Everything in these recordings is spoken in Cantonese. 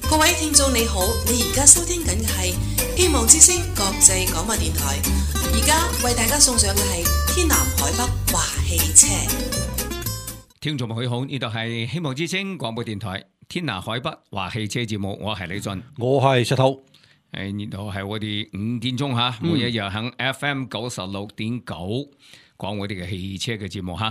各位聽眾你好，你而家收聽緊嘅係希望之聲國際廣播電台，而家為大家送上嘅係天南海北華汽車。聽眾朋友好，呢度係希望之聲廣播電台天南海北華汽車節目，我係李俊，我係石頭。呢度係我哋5點鐘吓，每一日喺 FM 96.9講我哋嘅汽車嘅節目吓。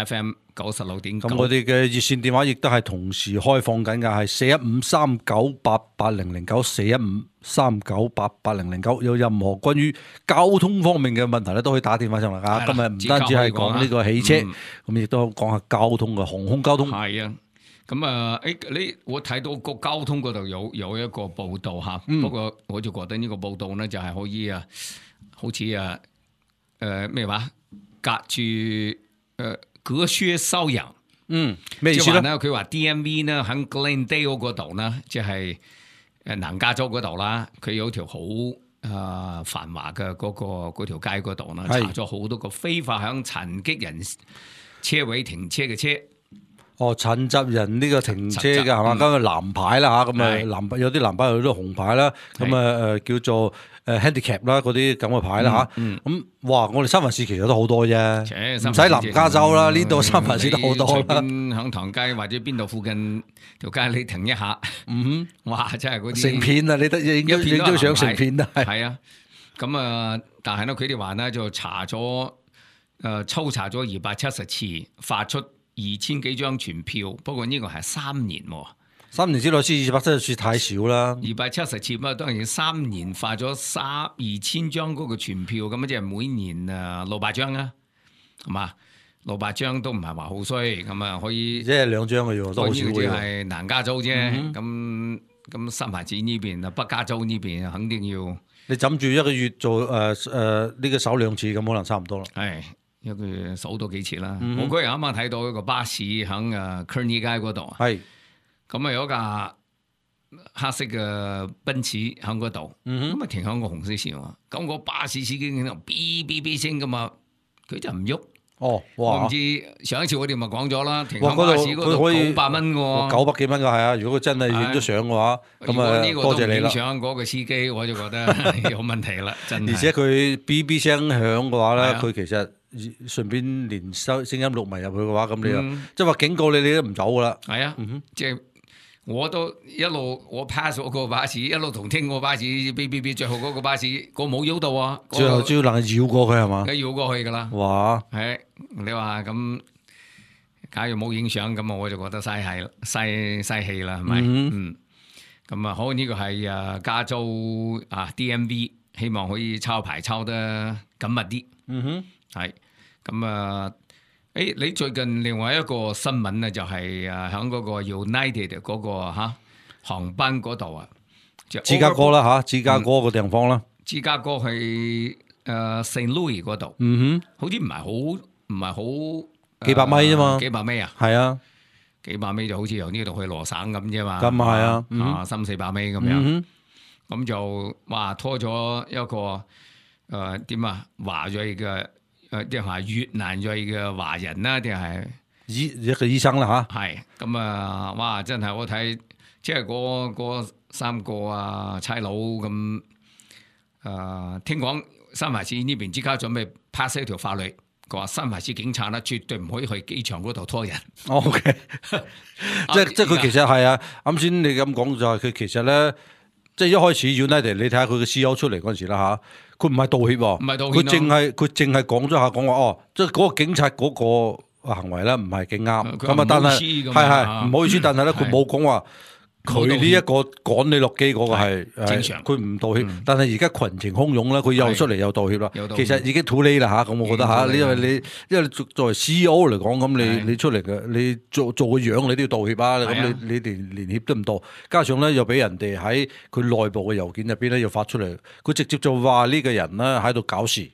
FM 96.9。咁我哋嘅熱線電話亦都係同時開放緊嘅，係41539880094，415398800，有任何關於交通方面嘅問題咧，都可以打電話上嚟噶。今日唔單止係講呢個汽車，咁亦都講下交通嘅航空交通。係啊。咁啊，我睇到個交通嗰度有一個報道吓，不過我就覺得呢個報道咧就係可以啊，好似啊咩話隔靴搔癢，咩意思咧？佢話 DMV 呢喺 Glendale 嗰度呢，即係南加州嗰度啦，佢有條好繁華嘅嗰條街嗰度呢，查咗好多個非法響殘疾人車位停車嘅車。殘疾人呢個停車嘅係嘛？咁藍牌啦嚇，咁啊有啲藍牌有啲紅牌啦，咁啊叫做handicap 啦嗰啲咁嘅牌啦嚇。咁哇，我哋三藩市其實都好多啫，唔使南加州啦，呢度三藩市都好多啦。響唐街或者邊度附近條街你停一下，哇！真係嗰啲成片啊！你得影張相成片啊！係啊，咁啊，但係咧佢哋話咧就查咗抽查咗270次，發出2000幾張傳票，不過呢個係3年喎，3年之內先270次太少啦。270次嘛，當然3年發咗2000張嗰個傳票，咁即係每年600張啊，係嘛？600張都唔係話好衰，咁啊可以，即係2張嘅啫，都好少嘅。呢個只係南加州啫，咁三藩市呢邊啊，北加州呢邊肯定要你枕住一個月做呢個手2次，咁可能差唔多啦。係。一個月數到幾次啦！我嗰日啱啱睇到一個巴士喺Kearney街嗰度，係咁啊有一架黑色嘅奔馳喺嗰度，咁啊停喺個紅色線喎。咁個巴士司機喺度嗶嗶嗶聲噶嘛，佢就唔喐。我唔知上一次我哋咪講咗啦，停喺巴士嗰度900蚊喎，900幾蚊㗎係啊！如果佢真係影咗相嘅話，咁啊多謝你啦。影相嗰個司機我就覺得有問題啦，真係。而且佢嗶嗶聲響嘅話咧，佢其實順便連聲音錄埋入去嘅話，咁你啊，即係話警告你，你都唔走噶啦。係啊，即係我都一路我 pass 咗個巴士，一路同聽個巴士，嗶，最後嗰個巴士個冇喐到啊。最後只要能繞過佢係嘛？梗繞過去噶啦。哇！係你話咁，假如冇影相咁啊，我就覺得嘥氣啦，係咪？咁啊，好呢個係加州DMV， 希望可以抄牌抄得緊密啲。係咁啊！你最近另外一個新聞咧，就係喺嗰個 United 嗰個航班嗰度啊，芝加哥啦嚇，芝加哥個地方啦，芝加哥係St. Louis 嗰度，好似唔係好幾百米啫嘛，幾百米啊，係啊，幾百米就好似由呢度去羅省咁啫嘛，咁係啊，300-400米咁樣，咁就哇拖咗一個點啊華裔嘅。定係越南裔嘅華人啦，定係一個醫生啦嚇。係咁啊！哇，真係我睇，即係嗰3個差佬咁。聽講三藩市呢邊即刻準備 pass 一條法律，佢話三藩市警察咧絕對唔可以去機場嗰度拖人。OK，即係佢其實係啊。啱先你咁講就係佢其實咧，即係一開始 United， 你睇下佢嘅 CEO 出嚟嗰陣時啦嚇。佢唔係道歉喎，唔係道歉，佢淨係講咗下講話即係嗰個警察嗰個行為咧唔係幾啱，咁啊，但係係唔好意思，但係咧佢冇講話佢呢一個趕你落機嗰個係正常，佢唔道歉，但係而家群情洶湧咧，佢又出嚟又道歉啦，其實已經 too late 啦嚇，咁我覺得嚇，因為作為 CEO 嚟講，咁你出嚟嘅，你做個樣你都要道歉啊，咁你連歉都唔道，加上咧又俾人哋喺佢內部嘅郵件入邊咧又發出嚟，佢直接就話呢個人咧喺度搞事。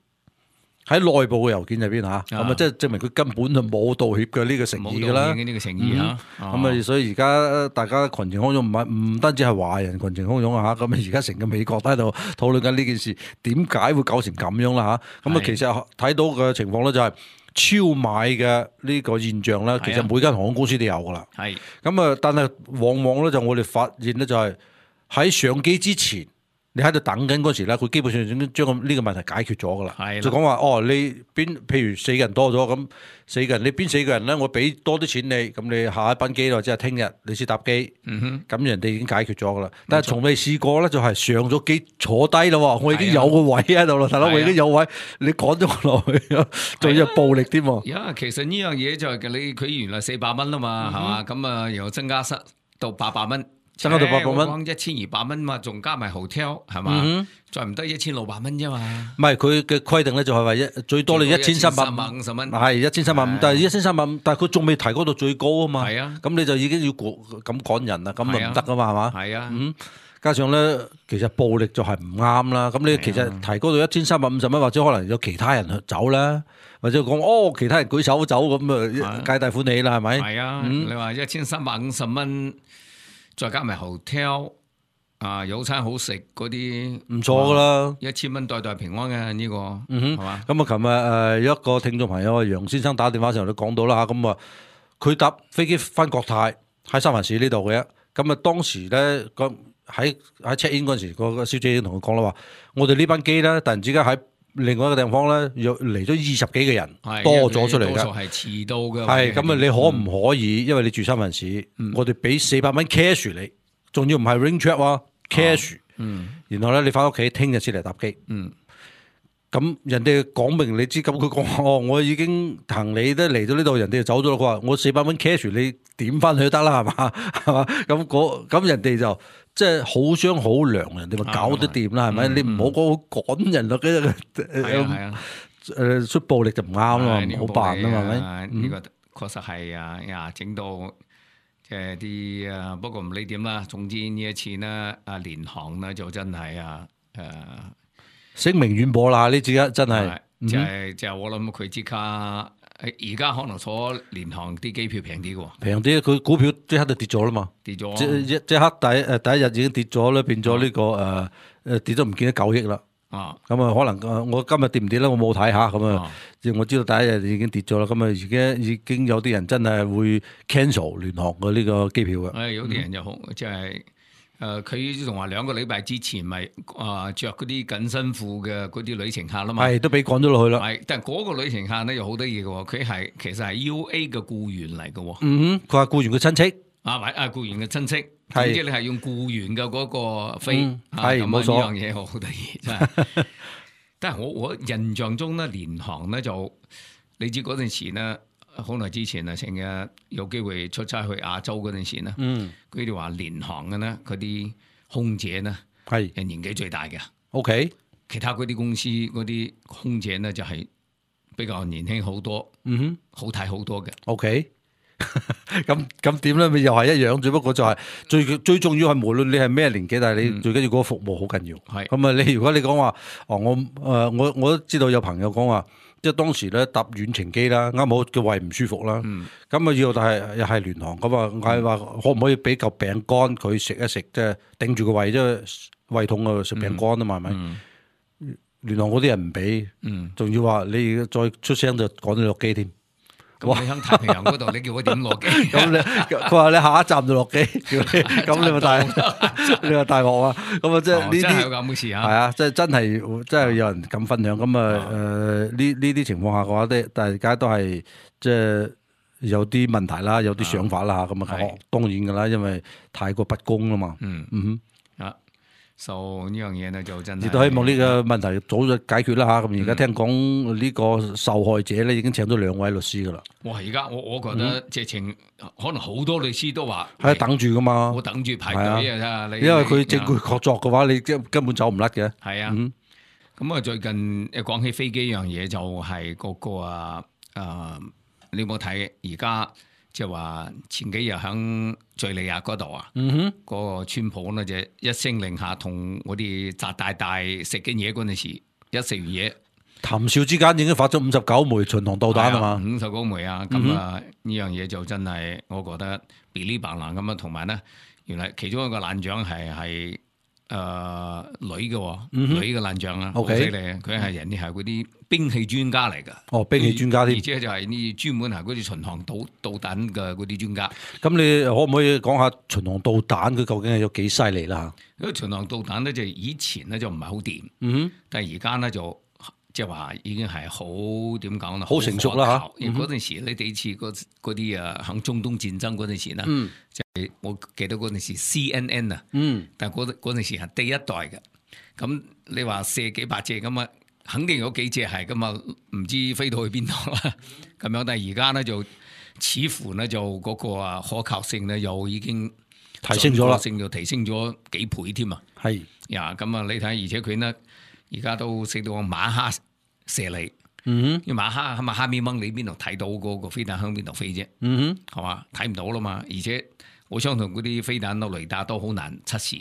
喺內部嘅郵件入邊嚇，咁啊即係證明佢根本就冇道歉嘅呢個誠意㗎啦。呢個誠意嚇，咁啊所以而家大家群情洶湧，唔單止係華人群情洶湧啊嚇，咁啊而家成個美國都喺度討論緊呢件事，點解會搞成咁樣啦嚇？咁啊其實睇到嘅情況咧就係超買嘅呢個現象咧，其實每間航空公司都有噶啦。係咁啊，但係往往咧就我哋發現咧就係喺上機之前，你喺度等緊嗰時咧，佢基本上已經將呢個問題解決咗噶啦。係就講話你譬如4個人多咗咁，4個人你邊4個人咧，我俾多啲錢你，咁你下一班機或者係聽日你先搭機，咁人哋已經解決咗噶啦。但係從未試過咧，就係上咗機坐低啦，我已經有個位喺度啦，大佬我已經有位，你趕咗我落去，仲要暴力添。其實呢樣嘢就係佢原來400蚊啊嘛，係嘛？咁啊又增加到800蚊。增加到800蚊，講1200蚊嘛，仲加埋 hotel 係嘛？再唔得1600蚊啫嘛。唔係佢嘅規定咧，就係話最多你1350蚊，係1350，但係1350，但係佢仲未提高到最高啊嘛。係啊，咁你就已經要咁趕人啦，咁咪唔得噶嘛，係嘛？係啊，加上咧，其實暴力就係唔啱啦。咁你其實提高到1350蚊，或者可能有其他人走啦，或者講其他人舉手走咁啊，皆大歡喜啦，係咪？係啊，你話1350蚊。再加埋 hotel 有餐好食嗰啲唔錯噶啦，1000蚊代平安嘅呢個，係嘛？咁啊，琴日有一個聽眾朋友楊先生打電話上嚟都講到啦嚇，咁啊佢搭飛機翻國泰喺三藩市呢度嘅，咁啊當時咧喺 check in 嗰陣時，個小姐已經同佢講啦話，我哋呢班機咧突然之間喺另外一個地方咧，又嚟咗20幾個人，多咗出嚟㗎。多數係遲到嘅。係咁啊！你可唔可以？因為你住三藩市，我哋俾400蚊 cash 你，仲要唔係 ring check 喎 cash。然後咧，你翻屋企聽日先嚟搭機。咁人哋講明你知，咁佢講我已經行李都嚟到呢度，人哋就走咗啦。佢話我400蚊 cash 你點翻去都得啦，係嘛？係嘛？咁人哋就。即係好商好量，人哋咪搞得掂啦，係咪？你唔好講趕人咯，出暴力就唔啱咯，唔好辦啊嘛，係咪？呢個確實係啊，整到即係啲不過唔理點啦。總之呢一次呢，聯航呢就真係聲名遠播啦！呢次真係就係我諗佢即刻。而家可能坐聯航啲機票平啲嘅喎，平啲，佢股票即刻就跌咗啦嘛，跌咗，即刻第一日已經跌咗咧，變咗呢個跌咗唔見得9億啦。咁啊可能我今日跌唔跌咧？我冇睇下咁啊，我知道第一日已經跌咗啦。咁啊而家已經有啲人真係會 cancel 聯航嘅呢個機票嘅。有啲人就好即係。佢仲話2個禮拜之前咪着嗰啲緊身褲嘅嗰啲旅程客啦嘛，係都俾趕咗落去啦。係，但係嗰個旅程客咧又好得意嘅喎，佢其實係 UA 嘅僱員嚟嘅喎。佢話僱員嘅親戚僱員嘅親戚，總之你係用僱員嘅嗰個飛，係冇錯。呢樣嘢好得意真係。但係我印象中咧，聯航咧就你知嗰陣時咧。好耐之前啊，成日有機會出差去亞洲嗰陣時咧，佢哋話聯航嘅咧，嗰啲空姐咧係年紀最大嘅。OK， 其他嗰啲公司嗰啲空姐咧就係比較年輕好多，好睇好多嘅。OK， 咁點咧？咪又係一樣，只不過就係最重要係無論你係咩年紀，但係你最緊要嗰個服務好緊要。係咁啊！你如果你講話我都知道有朋友講話。即係當時咧搭遠程機啦，啱好個胃唔舒服啦，咁啊要又係聯航咁啊，嗌話可唔可以俾嚿餅乾佢食一食，即係頂住個胃，即係胃痛啊食餅乾啊嘛，係咪？聯航嗰啲人唔俾，仲要話你再出聲就趕你落機添。咁你喺太平洋嗰度，你叫我點落機？佢話你下一站就落機，叫你咁你咪大鑊啊！咁啊，即係呢啲有咁嘅事啊！係啊，即係真係有人咁分享咁啊！呢啲情況下嘅話，大家都係即係有啲問題啦，有啲想法啦，咁啊，當然㗎啦，因為太過不公啦嘛。呢樣嘢呢就真係，亦都希望呢個問題早日解決啦嚇。咁而家聽講呢個受害者咧已經請咗2位律師噶啦。哇！而家我覺得直情可能好多律師都話係等住噶嘛，我等住排隊啊！因為佢證據確鑿嘅話，你根本走唔甩嘅。係啊，咁啊最近講起飛機樣嘢就係嗰個你有冇睇而家？即係話前幾日喺敘利亞嗰度啊，嗰個川普呢就一聲令下，同我哋習大大食緊嘢嗰陣時，一食完嘢，談笑之間已經發咗59枚巡航導彈啊嘛，59枚啊，咁啊呢樣嘢就真係我覺得 believe 咁啊，同埋呢，原來其中一個艦長係女嘅爛將啊，好犀利啊！佢係人哋係嗰啲兵器專家嚟㗎。哦，兵器專家添，而且就係呢專門係嗰啲巡航導彈嘅嗰啲專家。咁你可唔可以講下巡航導彈佢究竟係有幾犀利啦？因為巡航導彈咧就以前咧就唔係好掂，但係而家咧就即係話已經係好點講啦，好成熟啦嚇。嗰陣時你第一次嗰啲響中東戰爭嗰陣時啦，就係我記得嗰陣時 CNN 啊，但係嗰陣時係第一代嘅。咁你話射幾百隻咁啊，肯定有幾隻係咁啊，唔知飛到去邊度啦。咁樣，但係而家咧就似乎咧就嗰個可靠性咧又已經提升咗啦，性就提升咗幾倍添啊。係呀，咁啊你睇，而且佢呢而家都識到馬哈射嚟，因為馬哈喺馬哈咪掹你邊度睇到嗰個飛彈向邊度飛啫，係嘛？睇唔到啦嘛。而且我相信嗰啲飛彈嘅雷達都好難測試。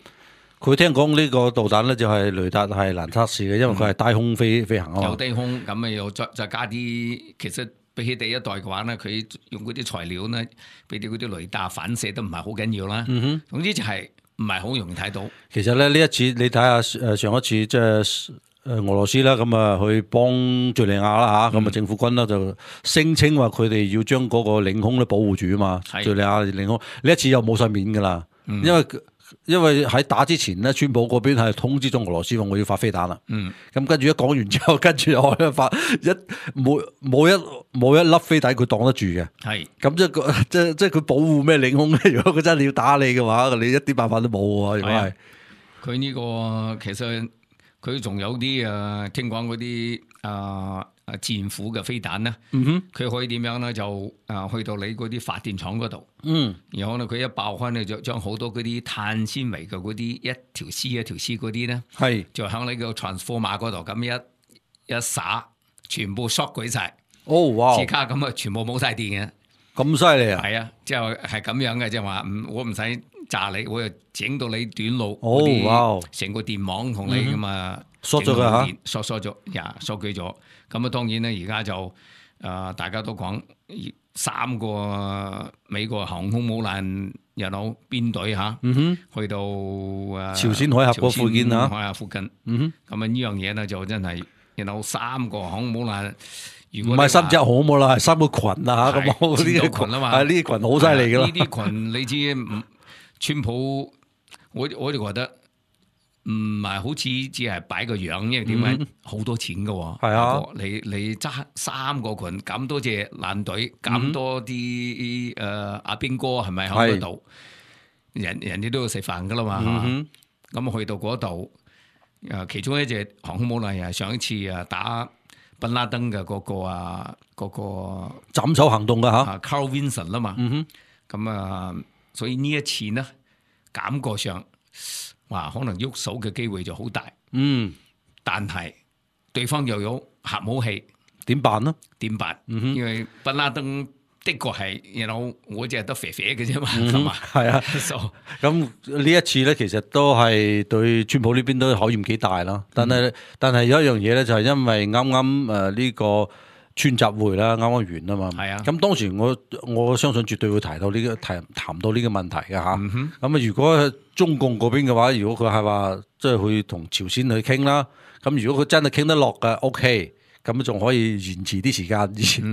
佢聽講呢個導彈咧就係雷達係難測試嘅，因為佢係低空飛行啊嘛。有低空，咁啊又再加啲，其實比起第一代嘅話咧，佢用嗰啲材料咧，俾啲嗰啲雷達反射都唔係好緊要啦。總之就係唔係好容易睇到。其實咧呢一次你睇下上一次即係俄羅斯啦，咁啊去幫敍利亞啦嚇，咁啊政府軍啦就聲稱話佢哋要將嗰個領空咧保護住啊嘛。敍利亞領空呢一次又冇晒面㗎啦，因為喺打之前咧，川普嗰邊係通知咗俄羅斯話我要發飛彈啦。咁跟住一講完之後，跟住又發冇一粒飛彈佢擋得住嘅。係咁即係佢保護咩領空咧？如果佢真係要打你嘅話，你一啲辦法都冇喎。如果係佢呢個其實佢仲有啲聽講嗰啲戰斧嘅飛彈咧，佢可以點樣咧？就去到你嗰啲發電廠嗰度，然後咧佢一爆開咧，就將好多嗰啲碳纖維嘅嗰啲一條絲嗰啲咧，係就喺你個 transformer 嗰度咁一灑，全部 short 舉晒。哦，哇！即刻咁啊，全部冇晒電嘅，咁犀利啊！係啊，即係咁樣嘅，即係話我唔使炸你，我又整到你短路，哇！成個電網同你咁啊，縮咗佢嚇，縮咗，縮舉咗。咁啊，當然咧，而家就大家都講3個美國航空母艦又有編隊嚇，去到朝鮮海峽嗰附近啊，海峽附近。咁啊，呢樣嘢咧就真係有3個航空母艦。唔係3隻航空母艦，係3個群啊嚇，咁呢個群啊嘛，係呢啲群好犀利噶啦。呢啲群你知，川普我就覺得。唔係好似只係擺個樣，因為點解好多錢㗎喎？係啊，你揸3個群咁多隻艦隊，咁多啲阿兵哥係咪喺嗰度？人哋都要食飯㗎啦嘛。咁去到嗰度，其中一隻航空母艦係上一次打賓拉登嘅嗰個斬首行動㗎嚇，Carl Vinson 啦嘛。咁所以呢一次呢，感覺上。哇，可能喐手嘅機會就好大，但係對方又有核武器，點辦呢？點辦？因為賓拉登的確係，我只係得肥肥嘅啫嘛，係嘛？係啊，咁呢一次咧，其實都係對川普呢邊都考驗幾大啦。但係有一樣嘢咧，就係因為啱啱呢個川習會啦，啱啱完啊嘛。係啊。咁當時我相信絕對會談到呢個問題嘅嚇。咁如果中共嗰邊嘅話，如果佢係話即係去同朝鮮去傾啦，咁如果佢真係傾得落嘅 ，OK，咁仲可以延遲啲時間。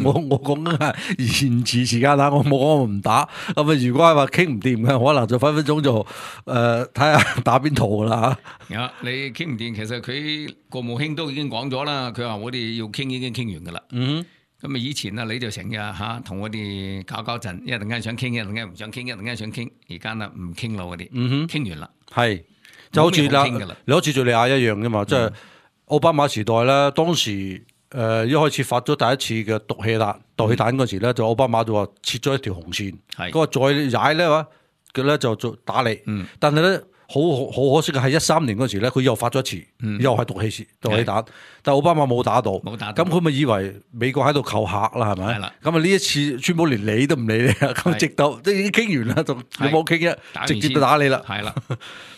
我講緊係延遲時間啦，我冇講我唔打。咁如果係話傾唔掂嘅，可能就分分鐘就睇下打邊圖啦嚇。你傾唔掂，其實佢國務卿都已經講咗啦，佢話我哋要傾已經傾完噶啦。咁以前你就成日同我哋搞陣，一陣間想傾，一陣間唔想傾，一陣間想傾，而家唔傾啦，我哋傾完啦。係就好似你好似敍利亞一樣啫嘛，即係奧巴馬時代咧，當時一開始發咗第一次嘅毒氣彈嗰時咧，就奧巴馬就話切咗一條紅線，佢話再踩咧話佢咧就打你，但係咧。好可惜嘅係13年嗰時咧，佢又發咗一次，又係毒氣彈，但係奧巴馬冇打到，咁佢咪以為美國喺度扣客啦，係咪？咁啊呢一次川普連理都唔理你，咁直到即係已經傾完啦，就你冇傾啫，直接就打你啦。係啦，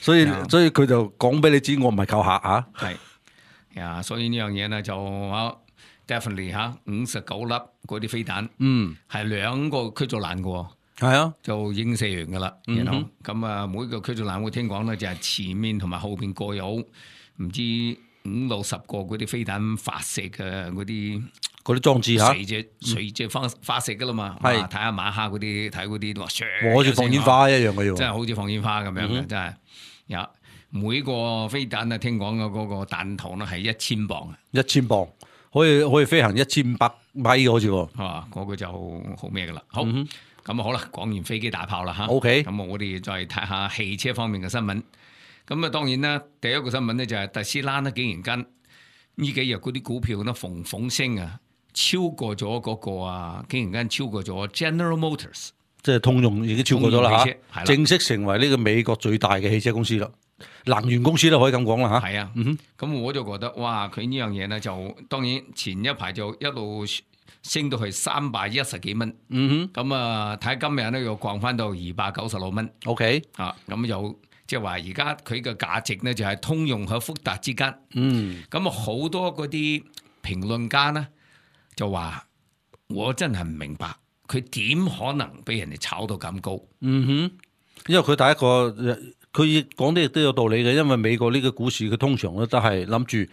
所以佢就講俾你知，我唔係扣客嚇。係所以呢樣嘢咧就definitely 59粒嗰啲飛彈，係2個驅逐艦嘅喎。係啊，就已經射完噶啦。咁啊，每個驅逐艦我聽講咧就係前面同埋後邊各有唔知50-60個嗰啲飛彈發射嘅嗰啲裝置嚇，隨隻發射噶啦嘛。係睇下馬哈嗰啲睇嗰啲，哇！好似放煙花一樣嘅喎，真係好似放煙花咁樣嘅，真係有每個飛彈啊，聽講嘅嗰個彈頭咧係1000磅，1000磅可以飛行1500米嘅好似喎，嗰個就好咩噶啦。好，咁好啦，講完飛機大炮啦嚇。OK，咁我哋再睇下汽車方面嘅新聞。咁啊，當然啦，第一個新聞咧就係特斯拉咧，竟然間呢幾日嗰啲股票咧逢升啊，超過咗嗰個啊，竟然間超過咗 General Motors， 即係通用已經超過咗啦嚇，正式成為呢個美國最大嘅汽車公司啦，能源公司都可以咁講啦嚇。係啊，咁我就覺得哇，佢呢樣嘢咧就當然前一排就一路升到去310幾蚊，咁啊睇今日咧又降翻到296蚊。OK， 咁又即係話而家佢嘅價值咧就係通用和福特之間。咁啊好多嗰啲評論家咧就話，我真係唔明白佢點可能俾人哋炒到咁高。因為佢第一個佢講啲亦都有道理嘅，因為美國呢個股市佢通常咧都係諗住。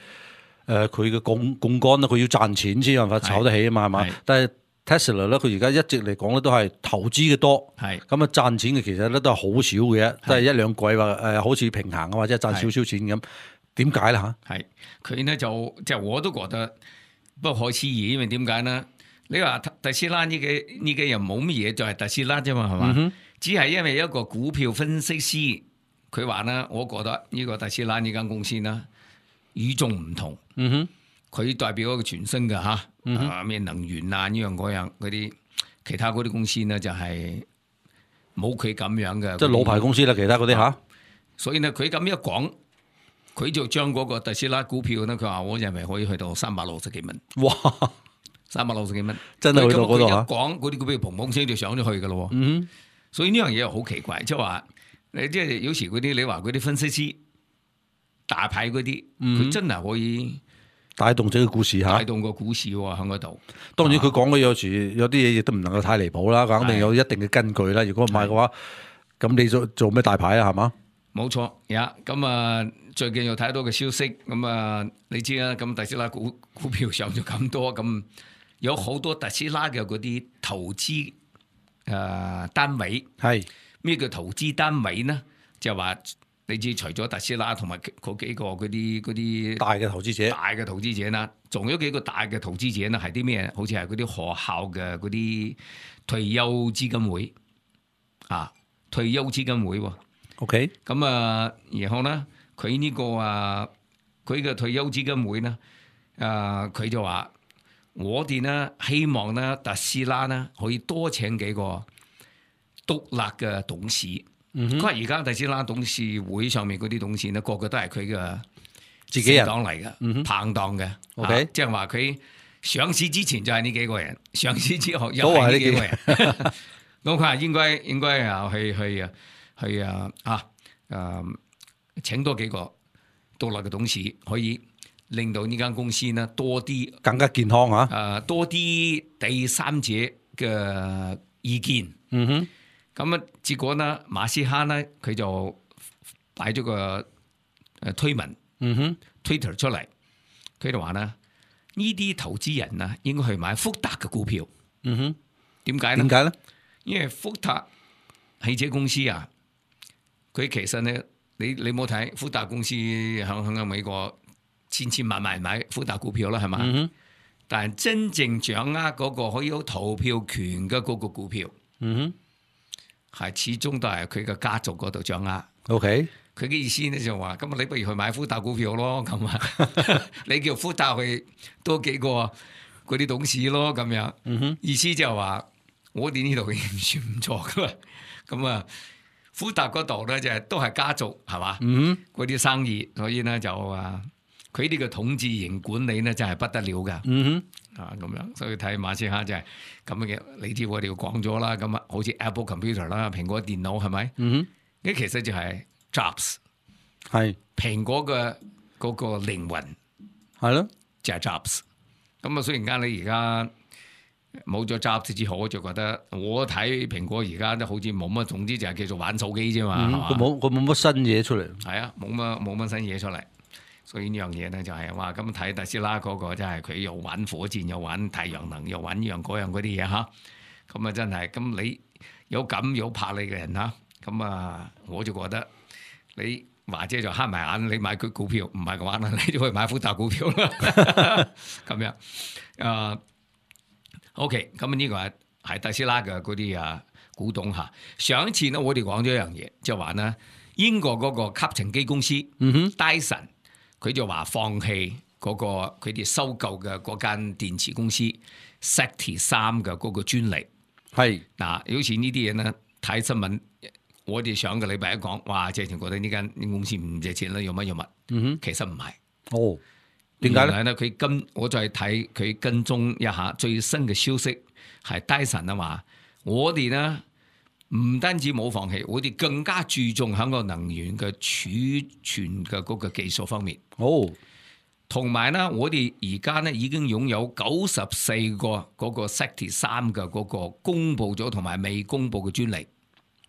佢嘅槓桿啦，佢要賺錢先有辦法炒得起啊嘛，係嘛？但係 Tesla 咧，佢而家一直嚟講咧都係投資嘅多，咁啊賺錢嘅其實咧都係好少嘅，都係1-2季或好似平衡啊，或者賺少少錢咁。點解咧嚇？係佢呢就即係我都覺得不可思議，因為點解呢？你話特斯拉呢幾日冇乜嘢，就係特斯拉啫嘛，係嘛？只係因為一個股票分析師佢話呢，我覺得呢個特斯拉呢間公司呢，與眾唔同，佢代表一個全新嘅嚇，咩能源啊呢樣嗰樣嗰啲，其他嗰啲公司呢就係冇佢咁樣嘅，即係老牌公司啦，其他嗰啲嚇。所以呢，佢咁一講，佢就將嗰個特斯拉股票呢，佢話我認為可以去到360幾蚊。哇！360幾蚊，真係去到嗰度嚇。一講嗰啲股票砰砰聲就上咗去嘅咯。所以呢樣嘢又好奇怪，即係話你即係有時嗰啲你話嗰啲分析師。大牌嗰啲，佢真係可以帶動整個股市嚇，帶動個股市喎喺嗰度。當然佢講嘅有時有啲嘢亦都唔能夠太離譜啦，肯定有一定嘅根據啦。如果唔係嘅話，咁你做咩大牌啊？係嘛？冇錯，咁啊，最近又睇到個消息，咁啊，你知啦，咁特斯拉股票上咗咁多，咁有好多特斯拉嘅嗰啲投資單位，係咩叫投資單位呢？就話。你知除咗特斯拉同埋嗰幾個嗰啲大嘅投資者啦，仲有幾個大嘅投資者呢？係啲咩？好似係嗰啲學校嘅嗰啲退休基金會退休基金會喎。OK， 咁啊，然後呢，佢呢個佢嘅退休基金會呢，佢就話我哋呢希望呢特斯拉呢可以多請幾個獨立嘅董事。佢話而家特斯拉董事會上面嗰啲董事呢，個個都係佢嘅自己人黨嚟嘅，拍檔嘅。OK，即係話佢上市之前就係呢幾個人，上市之後又係呢幾個人。咁佢話應該啊去請多幾個獨立嘅董事，可以令到呢間公司呢多啲更加健康嚇。多啲第三者嘅意見。咁啊，結果呢，馬斯克呢，佢就擺咗個推文，Twitter 出嚟，佢就話呢啲投資人啊，應該去買福特嘅股票。點解呢？因為福特汽車公司啊，佢其實呢，你冇睇福特公司喺美國千萬買福特股票啦，係嘛？但係真正掌握嗰個可以有投票權嘅嗰個股票，係始終都係佢嘅家族嗰度掌握。OK，佢嘅意思咧就話，咁你不如去買福特股票咯，咁啊，你叫福特去多幾個嗰啲董事咯，咁樣。意思就係話，我哋呢度已經算唔錯噶啦。咁啊，福特嗰度咧就係都係家族係嘛，嗰啲生意，所以咧就佢哋嘅統治型管理咧真係不得了噶。咁樣，所以睇馬斯克就係咁嘅。你知我哋講咗啦，咁啊，好似 Apple Computer 啦，蘋果電腦係咪？呢其實就係 Jobs， 係蘋果嘅嗰個靈魂，係咯，就係 Jobs。咁啊，雖然間你而家冇咗執之後，我就覺得我睇蘋果而家都好似冇乜，總之就係叫做玩手機啫嘛。佢冇乜新嘢出嚟。係啊，冇乜新嘢出嚟。所以呢樣嘢咧就係話咁睇特斯拉嗰個真係佢又玩火箭，又玩太陽能，又玩呢樣嗰樣嗰啲嘢嚇。咁啊真係咁你有咁有魄力嘅人嚇，咁啊我就覺得你或者就慳埋眼，你買佢股票唔係嘅話，你就可以買富達股票啦。咁樣OK， 咁呢個係特斯拉嘅嗰啲股東嚇。上一次呢，我哋講咗一樣嘢，就話呢英國嗰個吸塵機公司Dyson。佢就話放棄嗰個佢哋收購嘅嗰間電池公司 SECTI3嘅嗰個專利。係嗱，好似呢啲嘢咧，睇新聞，我哋上個禮拜一講，哇！謝霆覺得呢間公司唔借錢啦，用乜用乜？其實唔係。哦，點解咧？我再睇佢跟蹤一下最新嘅消息，係 Dyson 啊嘛，我哋呢。唔單止冇放棄，我哋更加注重喺個能源嘅儲存嘅嗰個技術方面。同埋呢，我哋而家呢已經擁有94個嗰個 SECTI3嘅嗰個公佈咗同埋未公佈嘅專利。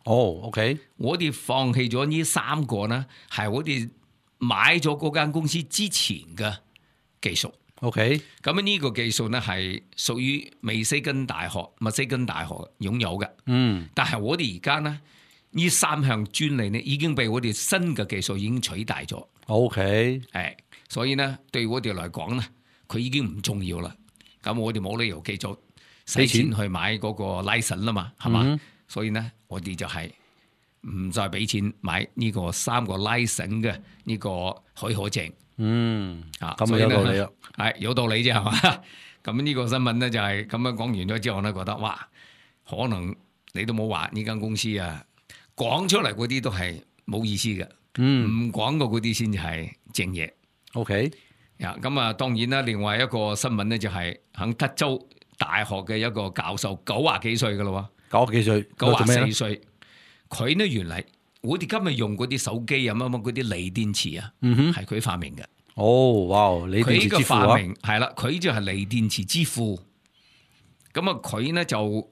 OK， 我哋放棄咗呢3個呢，係我哋買咗嗰間公司之前嘅技術。OK， 咁呢個技術呢係屬於密西根大學擁有嘅。但係我哋而家呢3項專利呢已經被我哋新嘅技術已經取代咗。OK， 係，所以呢對我哋嚟講呢，佢已經唔重要啦。咁我哋冇理由繼續使錢去買嗰個 license 啦嘛，係嘛？所以呢，我哋就係唔再俾錢買呢個3個 license 嘅呢個許可證。咁有道理啊，係有道理啫，係嘛？咁呢個新聞咧就係咁樣講完咗之後咧，覺得哇，可能你都冇話呢間公司講出嚟嗰啲都係冇意思嘅，唔講過嗰啲先至係正嘢。OK， 咁當然啦，另外一個新聞咧就係喺德州大學嘅一個教授90幾歲噶啦喎，90幾歲，94歲，佢呢原嚟。我哋今日用嗰啲手機啊，乜乜嗰啲鋰電池啊，係佢發明嘅。哇！鋰電池之父啊，係啦，佢就係鋰電池之父。咁啊，佢呢就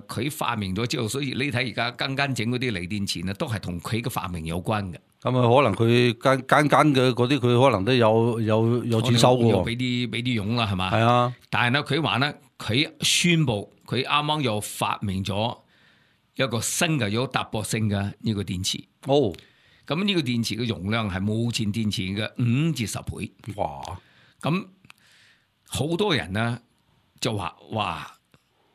佢發明咗之後，所以你睇而家間整嗰啲鋰電池呢，都係同佢嘅發明有關嘅。咁可能佢間嘅嗰啲，佢可能都有錢收嘅喎。俾啲傭啦，係嘛？係啊。但係呢，佢話呢，佢宣布佢啱啱又發明咗一個新嘅有突破性嘅呢個電池。咁呢個電池嘅容量係目前電池嘅5至10倍。哇！咁好多人呢就話哇，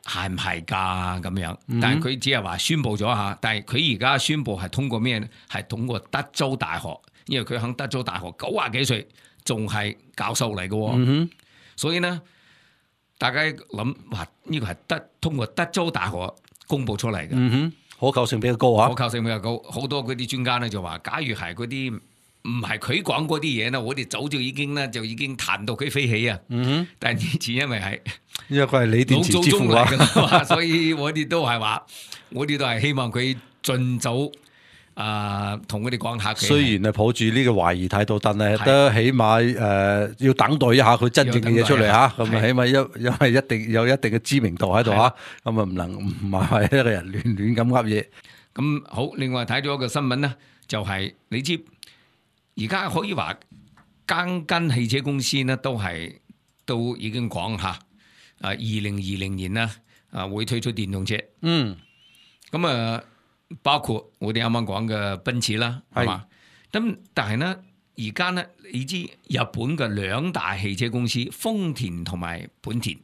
係唔係㗎咁樣？但係佢只係話宣布咗下，但係佢而家宣布係通過咩呢？係通過德州大學，因為佢喺德州大學90幾歲，仲係教授嚟嘅。所以呢，大家諗話呢個係通過德州大學公布出嚟嘅，可靠性比較高啊！可靠性比較高，好多嗰啲專家咧就話，假如係嗰啲唔係佢講嗰啲嘢呢，我哋早就已經彈到佢飛起啊！但係以前因為係佢係鋰電池之父啊，所以我哋都係話，我哋都係希望佢盡早同佢哋講下。雖然係抱住呢個懷疑態度，但係都起碼要等待一下佢真正嘅嘢出嚟嚇。咁啊，起碼因為一定有一定嘅知名度喺度嚇，咁啊唔係一個人亂咁噏嘢。咁好，另外睇咗一個新聞呢，就係你知而家可以話間汽車公司呢都已經講下2020年呢會推出電動車。咁包括我哋啱啱講嘅奔馳啦，係嘛？咁但係呢，而家呢，你知日本嘅2大汽車公司豐田同埋本田。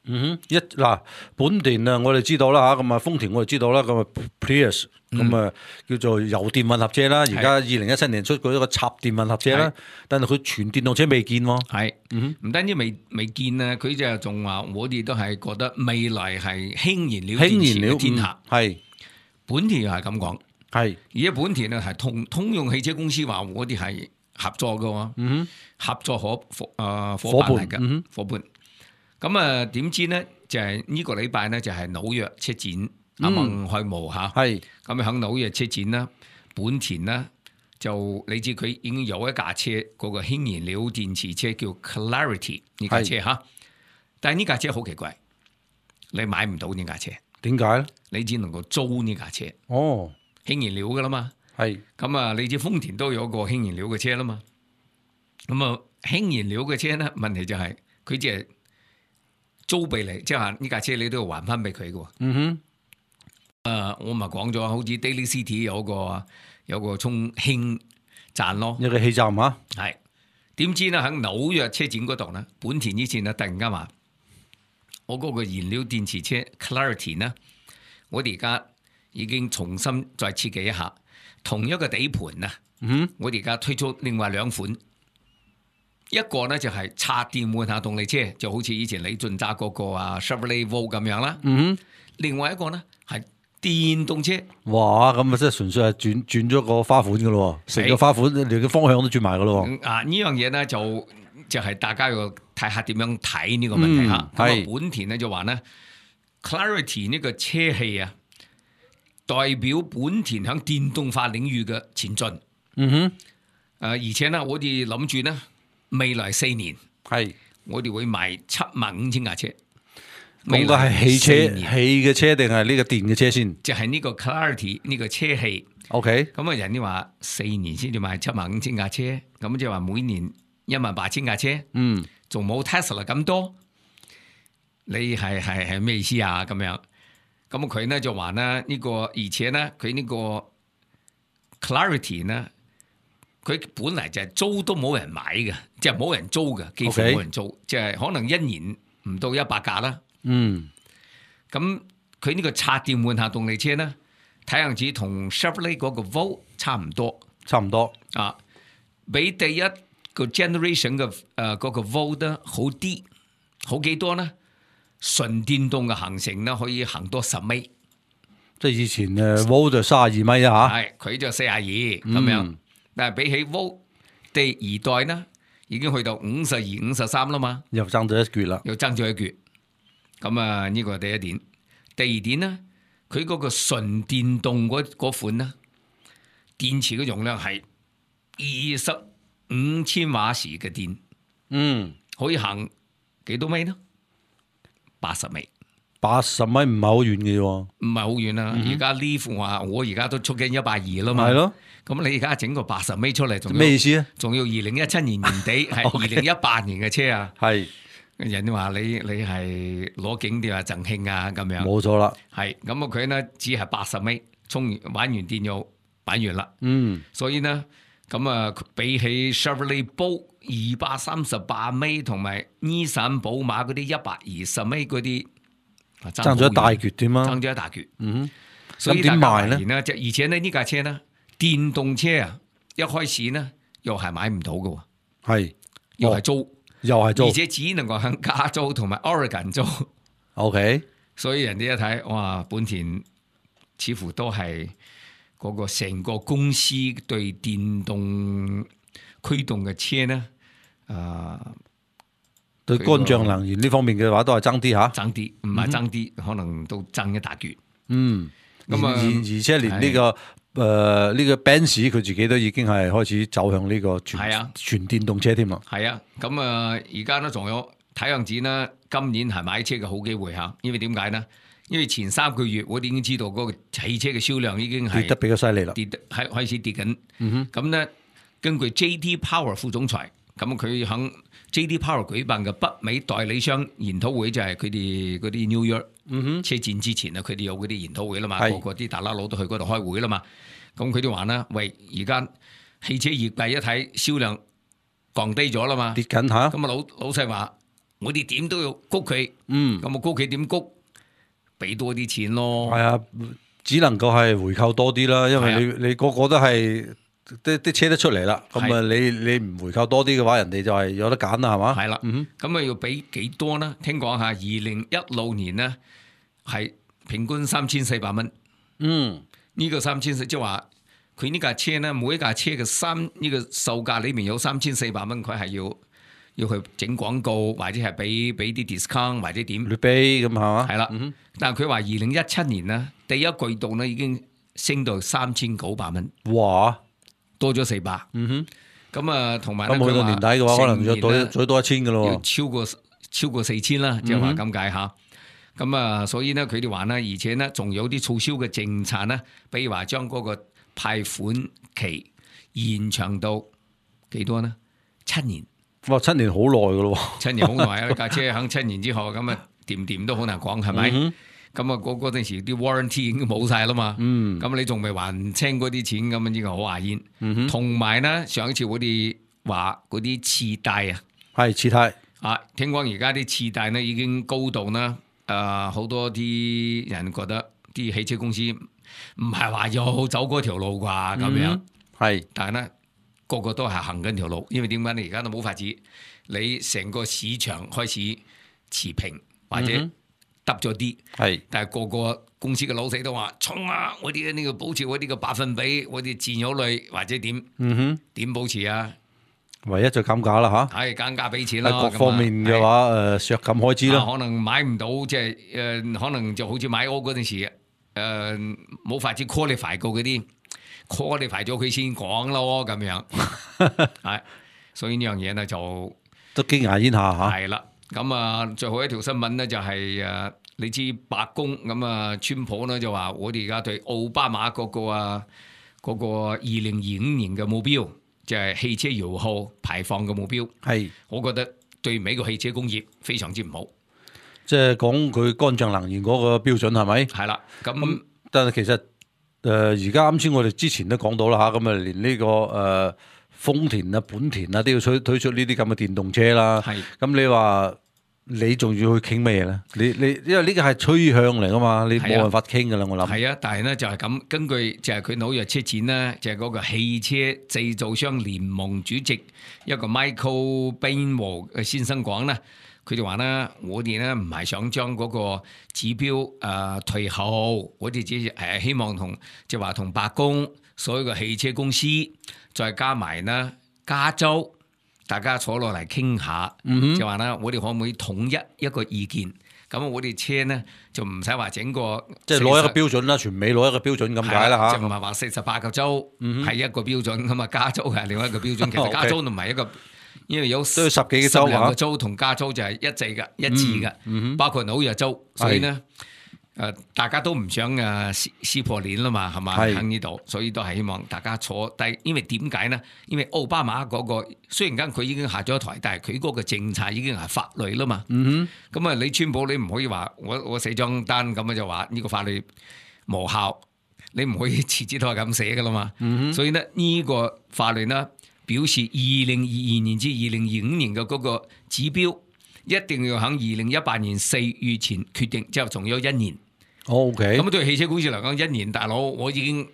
本田啊，我哋知道啦嚇，咁啊豐田我哋知道啦，咁啊 Prius 咁啊叫做油電混合車啦。而家2017年出過一個插電混合車啦，但係佢全電動車未見喎。係，唔單止未見啊，佢就仲話我哋都係覺得未來係氫燃料電池嘅天下。係。本田又係咁講，係而家本田咧係通用汽車公司話我哋係合作嘅，合作伙伴嚟嘅伙伴。咁點知呢？就係呢個禮拜呢，就係紐約車展啱啱開幕嚇，係咁喺紐約車展啦，本田呢，就你知佢已經有一架車嗰個氫燃料電池車叫 Clarity 呢架車嚇，但係呢架車好奇怪。你買唔到呢架車。點解咧？你只能夠租呢架車。哦，氫燃料噶啦嘛。係。咁啊，你知豐田都有個氫燃料嘅車啦嘛。咁啊，氫燃料嘅車咧，問題就係佢只係租俾你，即係話呢架車你都要還翻俾佢嘅。嗯哼。我咪講咗，好似 Daly City 有個充氫站咯，一個氣站啊。係。點知咧喺紐約車展嗰度咧，本田以前咧突然間話，我嗰個燃料電池車 Clarity 呢，我哋而家已經重新再設計一下，同一個底盤啊。我哋而家推出另外兩款，一個呢就係插電換下動力車，就好似以前李俊揸嗰個Chevrolet Volt 咁樣啦。另外一個呢係電動車。哇！咁啊，即係純粹係轉咗個花款噶咯，成個花款連個方向都轉埋噶咯。呢樣嘢呢就係大家要睇下點樣睇呢個問題嚇。咁本田呢就話呢 Clarity 呢個車系啊，代表本田響電動化領域嘅前進。而且呢，我哋諗住呢未來4年我哋會賣75,000架車。咁個係汽嘅車定係呢個電嘅車先？就係呢個 Clarity 呢個車系。OK。咁啊，人哋話4年先至賣75,000架車，咁即係話每年18,000架車。仲冇 Tesla 咁多。你係咩意思啊？咁樣，咁佢呢就話呢個，而且呢佢呢個 Clarity 呢，佢本嚟就係租都冇人買嘅，即係冇人租嘅，幾乎冇人租，即係可能1年唔到100架啦。咁佢呢個插電換下動力車呢，睇樣子同 Chevrolet 嗰個 Volt 差唔多啊，比第一個 generation 嘅嗰個 Volt 好啲，好幾多呢？純電動嘅行程呢，可以行多10米。即係以前Volt 就32米啊嚇，係佢就42咁樣，但係比起 Volt 第2代呢，已經去到52、53啦嘛，又爭咗一橛啦，又爭咗一橛。咁啊，呢個係第一點。第二點呢，佢嗰個純電動嗰款呢，電池嘅容量係25,000瓦時嘅電，可以行幾多米呢？80米。80米唔係好遠嘅喎，唔係好遠啦。而家呢副話，我而家都出緊120啦嘛。係咯。咁你而家整個80米出嚟，仲咩意思啊？仲要2017年年底係2018年嘅車啊。係。人哋話你係攞景啲啊贈慶啊咁樣。冇錯啦。係咁啊，佢呢只係80米，充完玩完電又玩完啦。所以呢，咁啊比起 Chevrolet Bolt 238米同埋 Nissan 寶馬嗰啲120米嗰啲。爭咗一大橛添啊！爭咗一大橛。所以點賣咧？而且呢架車呢，電動車啊，一開始呢又係買唔到嘅，係又係租，而且只能夠喺加州同埋 Oregon 租。OK， 所以人哋一睇，哇，本田似乎都係嗰個成個公司對電動驅動嘅車呢，對乾淨能源呢方面嘅話，都係爭啲嚇，爭啲唔係爭啲，可能都爭一大橛。咁啊，而且連呢個呢個 Benz 佢自己都已經係開始走向呢個全電動車添啦。係啊，咁啊，而家呢仲有睇樣子呢，今年係買車嘅好機會嚇，因為點解呢？因為前3個月我哋已經知道嗰個汽車嘅銷量已經係跌得比較犀利啦，跌得係開始跌緊。咁呢，根據 J.D. Power 副總裁。咁佢喺 J.D. Power 舉辦嘅北美代理商研討會，就係佢哋嗰啲 New York 車展之前啊，佢哋有嗰啲研討會啦嘛，個個啲大喇佬都去嗰度開會啦嘛。咁佢哋話啦，喂，而家汽車業界一睇銷量降低咗啦嘛，跌緊嚇。咁啊老細話，我哋點都要谷佢，咁啊谷佢點谷？俾多啲錢咯。係啊，只能夠係回購多啲啦，因為你個個都係。啲車都出嚟啦，咁啊你唔回購多啲嘅話，人哋就係有得揀啦，係嘛？係啦，咁啊要俾幾多呢？聽講下2016年呢係平均3400蚊。呢個3400即係話佢呢架車呢，每一架車嘅呢個售價裏面有3400蚊，佢係要去整廣告或者係俾啲 discount 或者點？劣卑咁係嘛？係啦，但係佢話2017年呢第一季度呢已經升到3900蚊。哇！多咗400，咁啊，同埋咧，咁去到年底嘅話，可能再多1000嘅咯，要超過4000啦，即係話咁解吓。咁啊，所以呢，佢哋話呢，而且呢，仲有啲促銷嘅政策呢，比如話將嗰個貸款期延長到幾多呢？7年。哇，7年好耐噶咯，7年好耐啊！架車響7年之後，咁啊掂都好難講，係咪？咁啊嗰陣時啲 warranty 已經冇晒啦嘛。咁你仲未還清嗰啲錢，咁呢個好牙煙。同埋呢，上一次我哋話嗰啲次貸啊，係次貸啊，聽講而家啲次貸呢已經高到呢，好多啲人覺得啲汽車公司唔係話要走嗰條路啩咁樣。係，但係呢，個個都係行緊條路，因為點解你而家都冇法子，你成個市場開始持平或者得咗啲，但係個個公司嘅老細都話衝啊！我哋呢個保持我哋嘅百分比，我哋佔有率或者點，點保持啊？唯一就減價啦嚇，係減價俾錢啦。各方面嘅話削減開支啦，可能買唔到即係可能就好似買屋嗰陣時冇法子 qualify 過嗰啲。qualify 咗佢先講咯，咁樣係，所以呢樣嘢呢就都驚訝一下嚇。係啦，咁啊最後一條新聞呢就係你知白宮咁啊，川普呢就話我哋而家對奧巴馬嗰個2025年嘅目標，就係汽車油耗排放嘅目標，係我覺得對美國汽車工業非常之唔好。即係講佢乾淨能源嗰個標準係咪？係啦，咁但係其實。而家啱先我哋之前都講到啦嚇，咁啊連呢個豐田啊、本田啊都要推出呢啲咁嘅電動車啦。係。咁你話你仲要去傾咩嘢咧？你因為呢個係趨向嚟噶嘛，你冇辦法傾噶啦，我諗。係啊，但係咧就係咁，根據就係佢紐約車展咧，就係嗰個汽車製造商聯盟主席一個 Michael Bainwall 先生講咧。佢哋話咧，我哋咧唔係想將嗰個指標退後，我哋只係希望同即係話同白宮所有嘅汽車公司，再加埋呢加州，大家坐落嚟傾下，就話咧我哋可唔可以統一個意見？咁我哋車呢就唔使話整個即係攞一個標準啦，全美攞一個標準咁解啦嚇。就唔係話48個州係一個標準咁啊，加州係另外一個標準。其實加州都唔係一個。因為有10幾個州個州同加州就係一致嘅，包括紐約州，所以呢，大家都唔想撕破臉啦嘛，係嘛喺呢度，所以都係希望大家坐低。因為點解呢？因為奧巴馬嗰個雖然間佢已經下咗台，但係佢嗰個政策已經係法律啦嘛。咁啊，你川普你唔可以話我寫張單咁就話呢個法律無效，你唔可以辭職都係咁寫噶啦嘛。所以呢，呢個法律呢。表示2022年至2025年嘅嗰個指標一定要喺2018年4月前決定，之後仲有1年。OK。咁對汽車公司嚟講，1年大佬我已經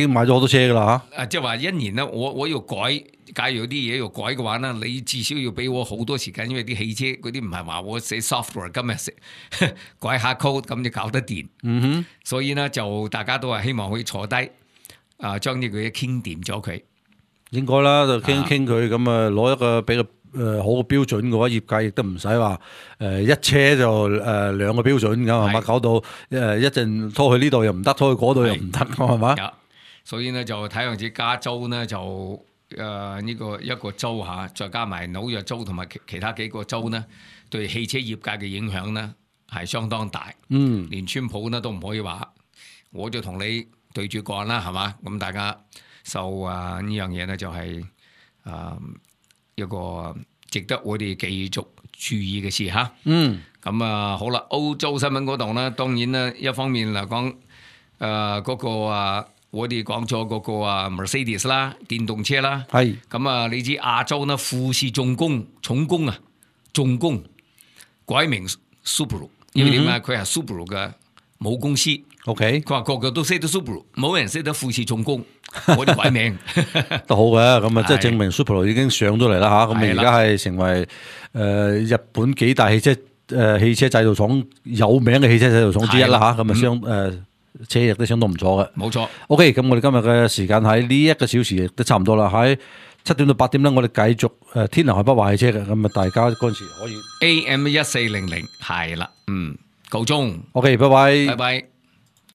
買咗好多車噶啦嚇。即係話1年咧，我要改，假如有啲嘢要改嘅話咧，你至少要俾我好多時間，因為啲汽車嗰啲唔係話我寫 software 今日改下 code 咁就搞得掂。所以呢，就大家都係希望可以坐低將呢個嘢傾掂咗佢。應該啦，就傾傾佢咁啊，攞一個比較好嘅標準嘅話，業界亦都唔使話一車就2個標準咁係嘛，搞到一陣拖去呢度又唔得，拖去嗰度又唔得，係嘛？所以呢，就睇樣子加州呢，就呢個一個州嚇，再加埋紐約州同埋其他幾個州呢，對汽車業界嘅影響呢係相當大。連川普呢都唔可以話，我就同你對住幹啦，係嘛？咁大家。呢樣嘢呢，就係一個值得我哋繼續注意嘅事嚇。咁好啦，歐洲新聞嗰度呢，當然呢一方面嚟講，嗰個我哋講咗嗰個Mercedes 啦，電動車啦。係。咁你知亞洲呢富士重工改名 Subaru， 因為點解佢係 Subaru 嘅母公司。OK。佢話個個都識得 Subaru， 冇人識得富士重工。我哋改名都好嘅，咁啊，即係證明 Subaru 已經上咗嚟啦嚇，咁而家係成為日本幾大汽車製造廠有名嘅汽車製造廠之一啦嚇，咁啊車亦都相當唔錯嘅。冇錯。OK，咁我哋今日嘅時間喺呢1個小時亦都差唔多啦，喺7點到8點咧，我哋繼續天南海北話汽車嘅，咁啊大家嗰陣時可以 AM 1400係啦，夠鐘。OK，拜拜。拜拜。